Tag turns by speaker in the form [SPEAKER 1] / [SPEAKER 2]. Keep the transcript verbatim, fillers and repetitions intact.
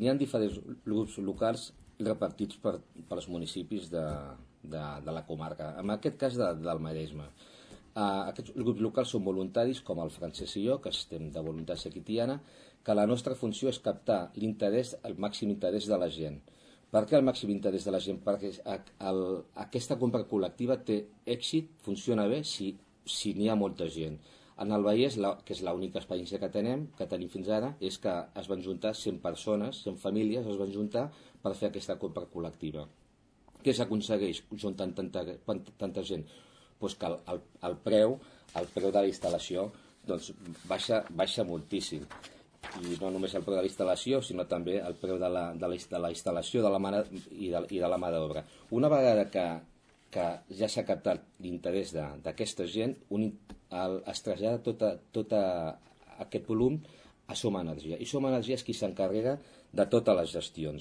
[SPEAKER 1] n'hi ha diferents grups locals repartits per, per als municipis de, de, de la comarca, en aquest cas de, del Maresme. Uh, aquests grups locals són voluntaris, com el Francesc i jo, que estem de Voluntat Sequitiana, que la nostra funció és captar l'interès, el màxim interès de la gent. Per què el màxim interès de la gent? Perquè el, aquesta compra col·lectiva té èxit, funciona bé, si, si n'hi ha molta gent. En el Vallès, la, que és l'única experiència que tenim, que tenim fins ara, és que es van juntar cent persones, cent famílies, es van juntar per fer aquesta compra col·lectiva. Què s'aconsegueix juntant tanta, tanta gent? Pues que el, el, el preu el preu de la instal·lació doncs, baixa, baixa moltíssim. I no només el preu de la instal·lació, sinó també el preu de la, de la, de la instal·lació de la mà i, de, i de la mà d'obra. Una vegada que, que ja s'ha captat l'interès d'aquesta gent, un, el, es trasllada tot tot aquest volum a Som Energia. I Som Energia és qui s'encarrega de totes les gestions.